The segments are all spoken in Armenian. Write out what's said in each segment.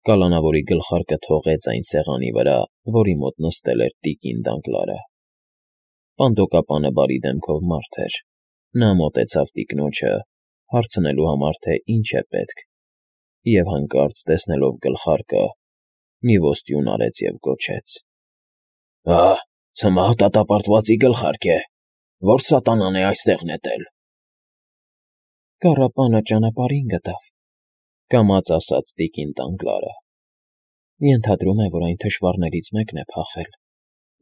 Կալանավորի գլխարկը թողեց այն սեղանի վրա, որի մոտ նստել էր տիկին Դանգլարը։ Պանդոկապանը բարի դեմքով մարդ էր։ Նա մոտեցավ տիկնոջը, հարցնելու համար, թե ինչ է պետք, և հանկարծ տեսնելով գլխարկը, մի ոստյուն արեց և գոչեց. «Ահ, ցմահ դատապարտվածի գլխարկ է, ո՞ր սատանան է այստեղ նետել»։ «Կառապանը ճանապարհին գտավ», կամաց ասաց տիկին Դանգլարը։ «Ենթադրում է, որ այն թշվառներից մեկն է փախել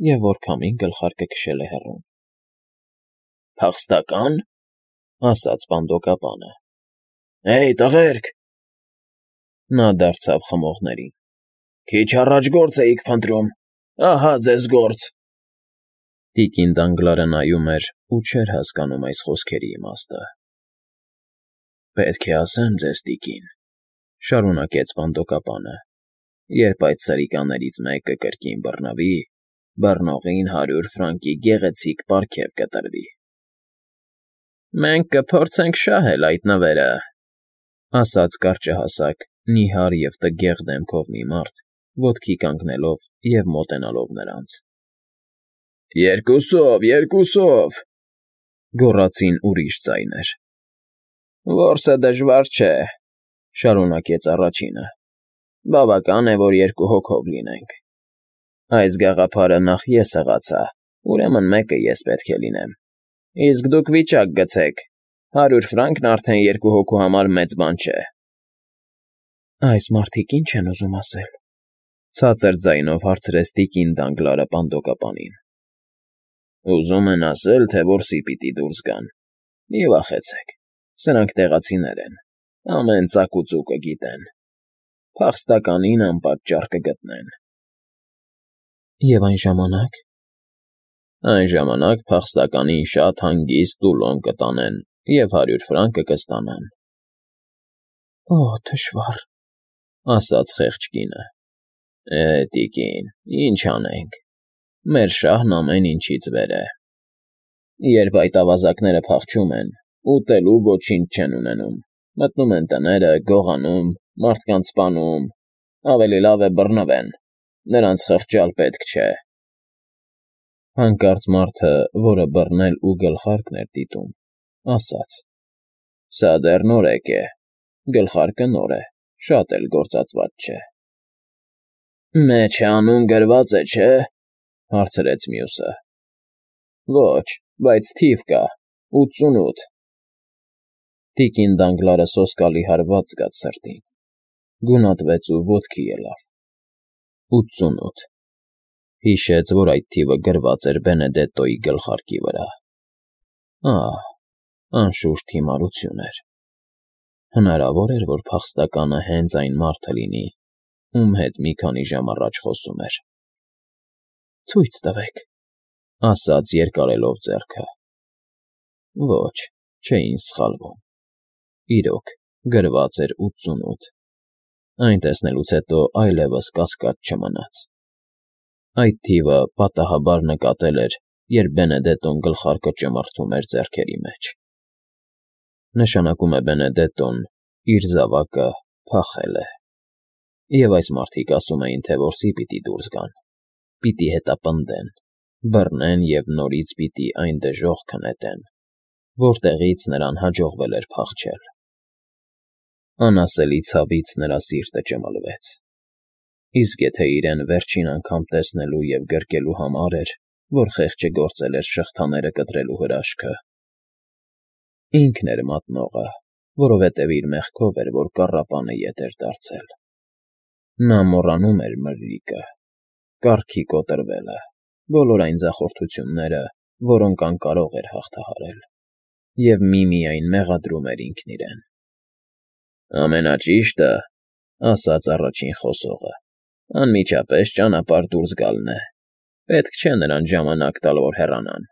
և որ քամին գլխարկը քշել է հեռուն»։ «Փախստակա՞ն», ասաց պանդոկապանը։ «Հեյ, տղերք»։ Նա դարձավ խմողներին. «Քիչ առաջ գործ էիք փնտրում, ահա ձեզ գործ»։ Տիկին Դանգլարը նայում էր ու չէր հասկանում այս խոսքերի իմաստը։ «Պետք է ասեմ ձեզ, տիկին,֊ շարունակեց պանդոկապանը,֊ երբ այդ սրիկաներից մեկը կրկին բռնվի, բռնողին 100 ֆրանկի գեղեցիկ պարգև կտրվի»։ «Մենք կփորձենք շահել այդ նվերը», ասաց կարճահասակ, նիհար և տգեղ դեմքով մի մարդ, ոտքի կանգնելով և մոտենալով նրանց։ «Երկուսով, երկուսով», գոռացին ուրիշ ձայներ։ «Որսը դժվար չէ,֊ շարունակեց առաջինը,֊ բավական է, որ 2 հոգով լինենք։ Այս գաղափարը նախ ես հղացա, ուրեմն մեկը ես պետք է լինեմ։ Իսկ դուք վիճակ գցեք, 100 ֆրանկն արդեն 2 հոգու համար մեծ բան չէ»։ «Այս մարդիկ ի՞նչ են ուզում ասել,֊ ցածր ձայնով հարցրեց տիկին Դանգլարը պանդոկապանին։ «Ուզում են ասել, թե որսի պիտի դուրս գան։ Մի վախեցեք, սրանք տեղացիներ են, ամեն ծակ ու ծուկը գիտեն։ Փախստականին անպատճառ կգտնեն»։ «Եվ այն ժամանակ»։ «Այն ժամանակ փախստականին շատ հանգիստ տուլոն կտանեն և 100 ֆրանկը կստանան»։ «Օ՜, թշվառ», ասաց խեղճ կինը։ Տիկին, ինչ անենք, մեր շահն ամեն ինչից վեր է։ Երբ այդ ավազակները փախչում են, ուտելու ոչինչ չեն ունենում, մտնում են տները, գողանում, մարդկանց սպանում, ավելի լավ է բռնվեն, նրանց խղճալ պետք չէ»։ Հանկարծ մարդը, որը բռնել ու գլխարկն էր դիտում, ասաց. «Սա դեռ նորեկ է, գլխարկը նոր է, շատ էլ գործածված չէ»։ «Մեջը անուն գրված է, չէ՞, հարցրեց մյուսը։ «Ոչ, բայց թիվ կա՝ 88»։ Տիկին Դանգլարը սոսկալի հարված զգաց սրտին, գունատվեց ու ոտքի ելավ։ 88։ Հիշեց, որ այդ թիվը գրված էր Բենեդետտոյի գլխարկի վրա։ Ահ, անշուշտ հիմարություն էր։ Հնարավոր էր, որ փախստականը հենց այն մարդը լինի, ում հետ մի քանի ժամ առաջ խոսում էր։ «Ցույց տվեք,֊ ասաց երկարելով ձեռքը։ Ոչ, չէին սխալվում։ Իրոք, գրված էր 88։ Այն տեսնելուց հետո այլևս կասկած չմնաց։ Այդ թիվը պատահաբար նկատել էր, երբ Բենեդետտոն գլխարկը ճմրթում էր ձեռքերի մեջ։ Նշանակում է Բենեդետտոն իր զավակը փախել է։ Եվ այս մարդիկ ասում էին, թե որսի պիտի դուրս գան, պիտի հետապնդեն, բռնեն և նորից պիտի այն դժոխքը նետեն, որտեղից նրան հաջողվել էր փախչել։ Անասելի ցավից նրա սիրտը ճմլվեց։ Իսկ եթե իրեն վերջին անգամ տեսնելու և գրկելու համար էր, որ խեղճը գործել էր շղթաները կտրելու հրաշքը։ Ինքն էր մատնողը, որովհետև իր մեղքով էր, որ կառապանը ետ էր դարձել։ Նա մոռանում էր մրրիկը, կառքի կոտրվելը, բոլոր այն ձախորդությունները, որոնք անկարող էր հաղթահարել, և միմիայն մեղադրում էր ինքն իրեն։ «Ամենաճիշտը,֊ ասաց առաջին խոսողը,֊ անմիջապես ճանապարհ դուրս գալն է։ Պետք չէ նրանց ժամանակ տալ, որ հեռանան։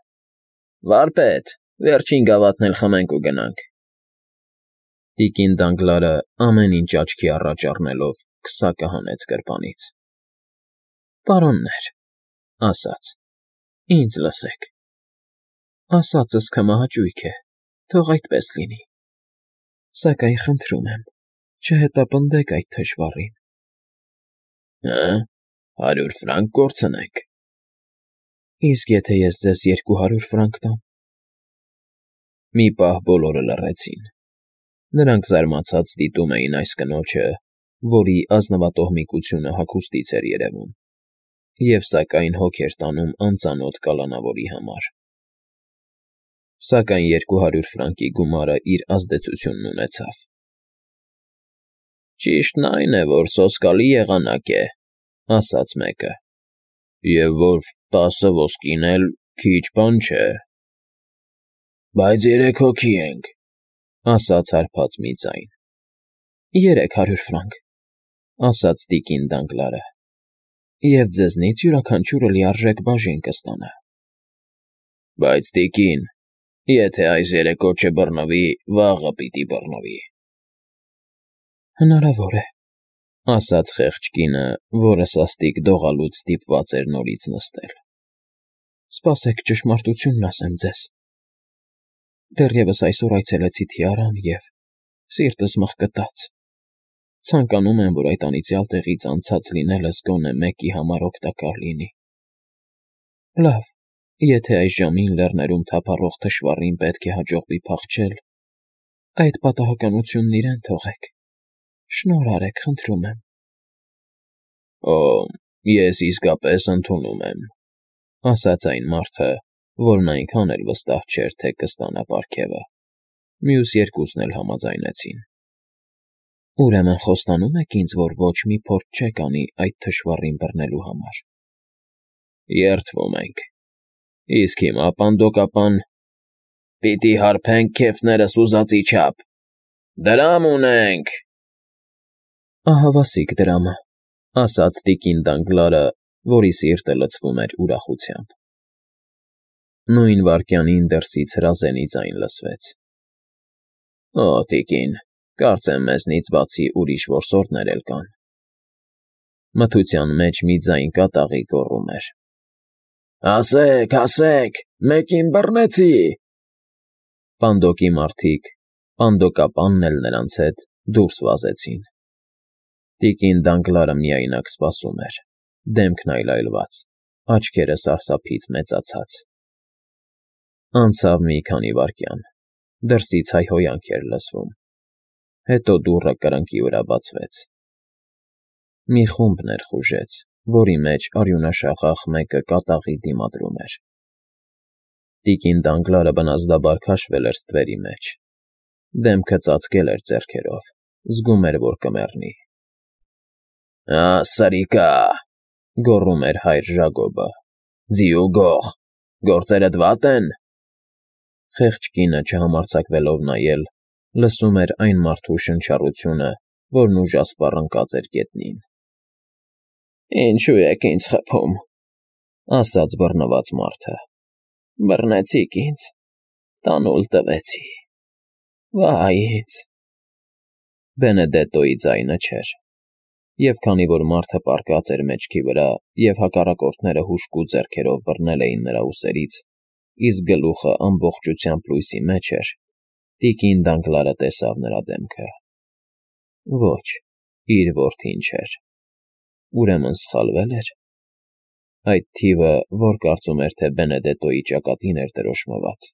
Վարպետ, վերջին գավաթն էլ խմենք ու գնանք»։ Տիկին Դանգլարը, ամեն ինչ աչքի առաջ առնելով, քսակը հանեց գրպանից։ «Պարոններ,֊ ասաց,֊ ինձ լսեք։ Ասածս քմահաճույք է, թող այդպես լինի։ Սակայն խնդրում եմ, չհետապնդեք այդ թշվառին։ Հա՞, 100 ֆրանկ կորցնենք։ Իսկ եթե ես ձեզ 200 ֆրանկ տամ։ Մի պահ բոլորը լռեցին։ Նրանք զարմացած դիտում էին այս կնոջը, որի ազնվատոհմիկությունը հագուստից էր երևում, և սակայն հոգ էր տանում անծանոթ կալանավորի համար։ Սակայն 200 ֆրանկի գումարը իր ազդեցությունն ունեցավ։ Ճիշտն այն է, որ սոսկալի եղանակ է, ասաց մեկը, և որ 10 ոսկին էլ քիչ բան չէ։ Բայց 3 հոգի ենք, ասաց հարբած մի ձայն։ 300 ֆրանկ, ասաց տիկին Դանգլարը, և ձեզնից յուրաքանչյուրը լիարժեք բաժին կստանա։ Բայց տիկին, եթե այս երեկո չբռնվի, վաղը պիտի բռնվի։ Հնարավոր է, ասաց խեղճ կինը, որը սաստիկ դողալուց ստիպված էր նորից նստել։ Սպասեք ճշմարտությունն ասեմ ձեզ։ Դեռևս այսօր այցելեցի Թիարան և սիրտս մղկտաց։ Ցանկանում եմ, որ այդ անիծյալ տեղից անցած լինելս գոնե մեկի համար օգտակար լինի։ Լավ, եթե այս ժամին լեռներում թափառող թշվառին պետք է հաջողվի փախչել, այդ պատահականությունն իրեն թողեք։ Շնորհ արեք, խնդրում եմ։ Օ, ես իսկապես ընդունում եմ, ասաց այն մարդը, որն այնքան էլ վստահ չէր, թե կստանա պարգևը։ Մյուս երկուսն էլ համաձայնեցին։ Ուրեմն խոստանում եք ինձ, որ ոչ մի փորձ չեք անի այդ թշվառին բռնելու համար։ Երդվում ենք։ Իսկ հիմա, պանդոկապան, պիտի հարբենք քեֆներս ուզածի չափ։ Դրամ ունենք։ Ահավասիկ դրամը, ասաց տիկին Դանգլարը, որի սիրտը լցվում էր ուրախությամբ։ Նույն վայրկյանին դրսից հրազենի ձայն լսվեց։ Օ, տիկին, կարծեմ մեզնից բացի ուրիշ որսորդներ էլ կան։ Մթության մեջ մի ձայն կատաղի գոռում էր. Ասեք, մեկին բռնեցի։ Պանդոկի մարդիկ, պանդոկապանն էլ նրանց հետ, դուրս վազեցին։ Տիկին Դանգլարը միայնակ սպասում էր, դեմքն այլայլված, աչքերը սարսափից մեծացած։ Անցավ մի քանի վայրկյան, դրսից հայհոյանք էր լսվում, հետո դուռը կրկնակի վրա բացվեց։ Մի խումբ ներխուժեց, որի մեջ արյունաշաղախ մեկը կատաղի դիմադրում էր։ Տիկին Դանգլարը բնազդաբար քաշվել էր ստվերի մեջ, դեմքը ծածկել էր ձեռքերով, զգում էր, որ կմեռնի։ Սրիկա, գոռում էր հայր Ժակոբը, ձիու գող, գործերդ վատ են։ Խեղճ կինը չհամարձակվելով նայել, լսում էր այն մարդու շնչառությունը, որն ուժասպառ ընկած էր գետնին։ Ինչու եք ինձ խփում, ասաց բռնված մարդը։ Բռնեցիք ինձ, տանուլ տվեցի։ Վայ ինձ։ Բենեդետոյի ձայնը չէր։ Եվ քանի որ մարդը պառկած էր մեջքի վրա և հակառակորդները հուժկու ձեռքերով բռնել էին նրա ուսերից, իսկ գլուխը ամբողջությամբ լույսի մեջ էր, տիկին Դանգլարը տեսավ նրա դեմքը։ Ոչ, իր որդին չէր։ Ուրեմն սխալվե՞լ էր։ Այդ թիվը, որ կարծում էր, թե Բենեդետոյի ճակատին էր դրոշմված,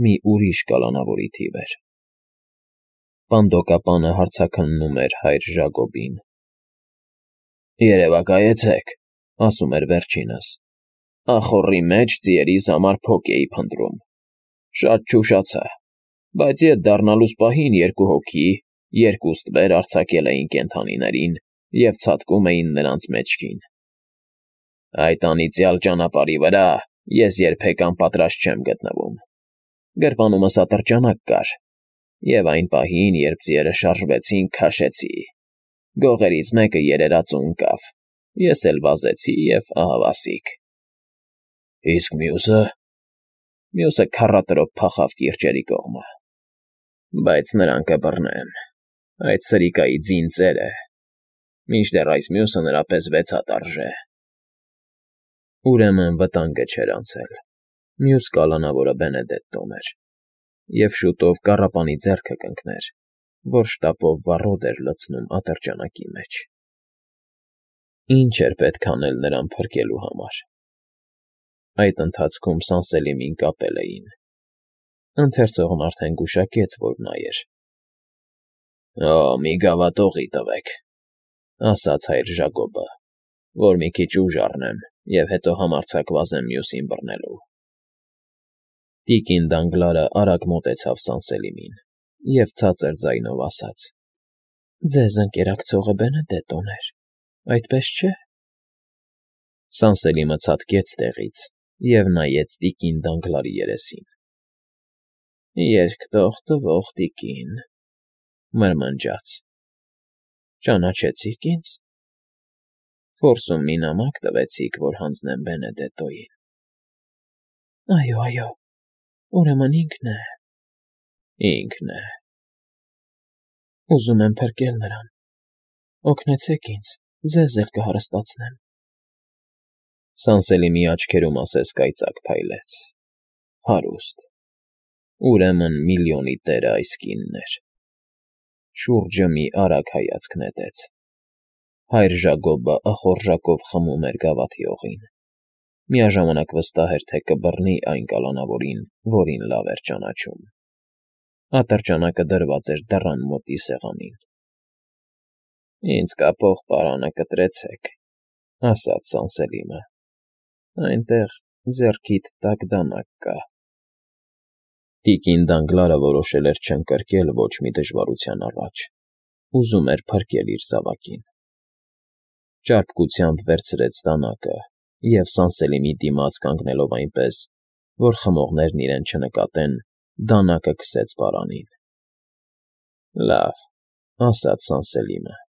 մի ուրիշ կալանավորի թիվ էր։ Պանդոկապանը հարցաքննում էր հայր Ժակոբին։ Երևակայեցեք, ասում էր վերջինս։ Ախոռի մեջ ձիերիս համար փոք էի փնտրում։ Շատ չուշացա, բայց ետ դառնալուց պահին 2 հոգի, 2 ստվեր արձակել էին կենդանիներին և ցատկում էին նրանց մեջքին։ Այդ անիծյալ ճանապարհի վրա ես երբեք անպատրաստ չեմ գտնվում։ Գրպանումս ատրճանակ կար, և այն պահին, երբ ձիերը շարժվեցին, քաշեցի։ Գողերից մեկը երերաց ու ընկավ, ես էլ վազեցի և ահավասիկ։ Իսկ մյուսը։ Մյուսը քառատրոփ փախավ կիրճերի կողմը։ Բայց նրան կբռնեմ, այդ սրիկայի ձին ծերը, մինչդեռ այս մյուսը նրա պես 6 հատ արժե։ Ուրեմն վտանգը չէր անցել։ Մյուս կալանավորը Բենեդետտոն էր, և շուտով կառապանի ձեռքը կընկներ, որ շտապով վառոդ էր լցնում ատրճանակի մեջ։ Ինչ էր պետք անել նրան փրկելու համար։ Այդ ընթացքում Սանսելիմին կապել էին։ Ընթերցողն արդեն գուշակեց, որ նա էր։ ֊ Օ, մի գավաթ օղի տվեք, ֊ ասաց հայր Ժակոբը, ֊ որ մի քիչ ուժ առնեմ և հետո համարձակ վազեմ մյուսին բռնելու։ Տիկին Դանգլարը արագ մոտեցավ Սանսելիմին և ցածր ձայնով ասաց. ֊ Ձեզ ընկերակցողը Բենեդետոն էր, այդպես չէ՞։ Սանսելիմը ցատկեց տեղից և նայեց տիկին Դանգլարի երեսին։ ֊ Երկտող տվող տիկին, ֊ մրմնջաց։ ֊ Ճանաչեցի՞ք ինձ։ Ֆորսում մի նամակ տվեցիք, որ հանձնեմ Բենեդետոյին։ ֊ Այո, ուրեմն ինքն է։ ֊ Ինքն է։ Ուզում եմ փրկել նրան։ Օգնեցեք ինձ, ձեզ էլ կհարստացնեմ։ Սանսելիմի աչքերում ասես կայծակ փայլեց։ Հարուստ։ Ուրեմն միլիոնի տերը այս կինն էր։ Շուրջը մի արագ հայացք նետեց։ Հայր Ժակոբը ախորժակով խմում էր գավաթի օղին։ Միաժամանակ վստահ էր, թե կբռնի այն կալանավորին, որին լավ էր ճանաչում։ Ատրճանակը դրված էր դռան մոտի սեղանին։ ֊ Ինձ կապող պարանը կտրեցեք, ֊ ասաց Սանսելիմը։ ֊ Այնտեղ ձեռքիդ տակ դանակ կա։ Տիկին Դանգլարը որոշել էր չընկրկել ոչ մի դժվարության առաջ։ Ուզում էր փրկել իր զավակին։ Ճարպկությամբ վերցրեց դանակը և Սանսելիմի դիմաց կանգնելով այնպես, որ խմողներն իրեն չնկատեն, դանակը քսեց պարանին։ ֊ Լավ, ֊ ասաց Սանսելիմը։ ֊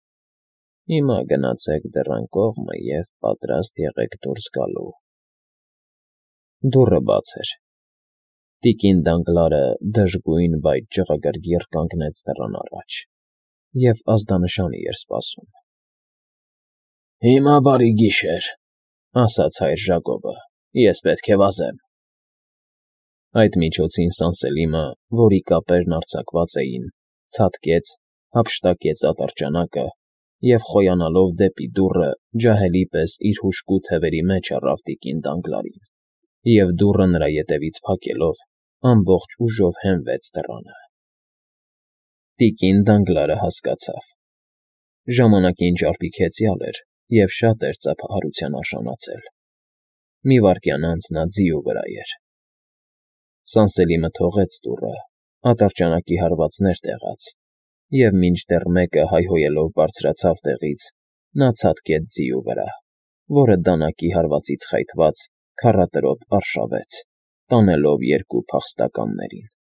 Հիմա գնացեք դռան կողմը և պատրաստ եղեք դուրս գալու։ Դուռը բաց էր։ Տիկին Դանգլարը դժգույն, բայց ջղրգռգիռ կանգնեց դռան առաջ և ազդանշանի էր սպասում։ ֊ Հիմա բարի գիշեր, ֊ ասաց հայր Ժակոբը, ֊ ես պետք է վազեմ։ Այդ միջոցին Սանսելիմը, որի կապերն արձակված էին, ցատկեց, հափշտակեց ատրճանակը և, խոյանալով դեպի դուռը, ջահելի պես իր հուժկու թևերի մեջ առավ տիկին Դանգլարին և, դուռը նրա ետևից փակելով, ամբողջ ուժով հենվեց դռանը։ Տիկին Դանգլարը հասկացավ։ Ժամանակին ճարպիկ հեծյալ էր և շատ էր ծափահարության արժանացել։ Մի վայրկյան անց նա ձիու վրա էր։ Սանսելիմը թողեց դուռը, ատրճանակի հարվածներ տեղաց, և մինչդեռ մեկը հայհոյելով բարձրացավ տեղից, նա ցատկեց ձիու վրա, որը դանակի հարվածից խայթված քառատրոտ արշավեց, տանելով երկու փախստականներին։